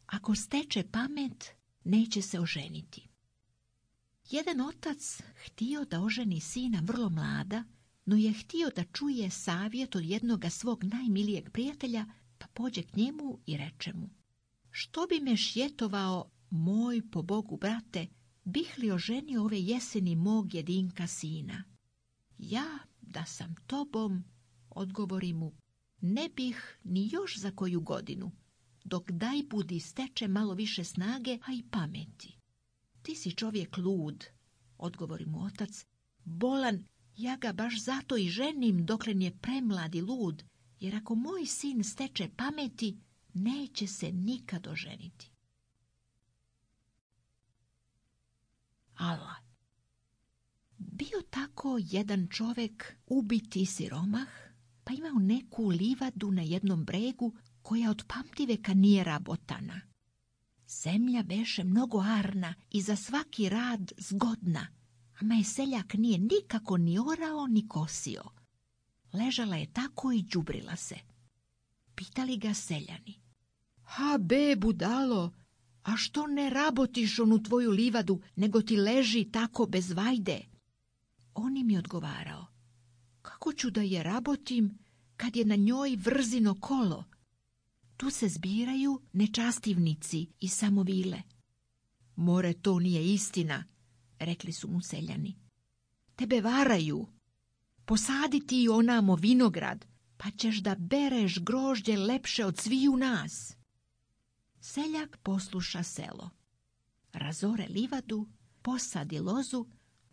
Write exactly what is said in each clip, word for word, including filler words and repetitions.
ako steče pamet, neće se oženiti. Jedan otac htio da oženi sina vrlo mlada, no je htio da čuje savjet od jednoga svog najmilijeg prijatelja, pa pođe k njemu i reče mu: što bi me šjetovao, moj po Bogu brate, bih li oženio ove jeseni mog jedinka sina? Ja, da sam tobom, odgovori mu, ne bih ni još za koju godinu, dok daj budi steče malo više snage, a i pameti. Ti si čovjek lud, odgovori mu otac, bolan, ja ga baš zato i ženim doklen je premlad i lud, jer ako moj sin steče pameti, neće se nikad oženiti. Ala. Bio tako jedan čovjek ubiti siromah, pa imao neku livadu na jednom bregu koja od pamtiveka nije rabotana. Zemlja beše mnogo arna i za svaki rad zgodna, ama je seljak nije nikako ni orao ni kosio. Ležala je tako i đubrila se. Pitali ga seljani: ha be, budalo, a što ne rabotiš onu tvoju livadu, nego ti leži tako bez vajde? On im je odgovarao: kako ću da je rabotim kad je na njoj vrzino kolo? Tu se zbiraju nečastivnici i samovile. More, to nije istina, rekli su mu seljani. Tebe varaju. Posadi ti onamo vinograd, pa ćeš da bereš grožđe lepše od sviju nas. Seljak posluša selo. Razore livadu, posadi lozu,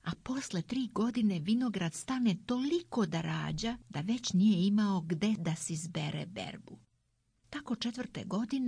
a posle tri godine vinograd stane toliko da rađa da već nije imao gde da si zbere berbu. Tako četvrte godine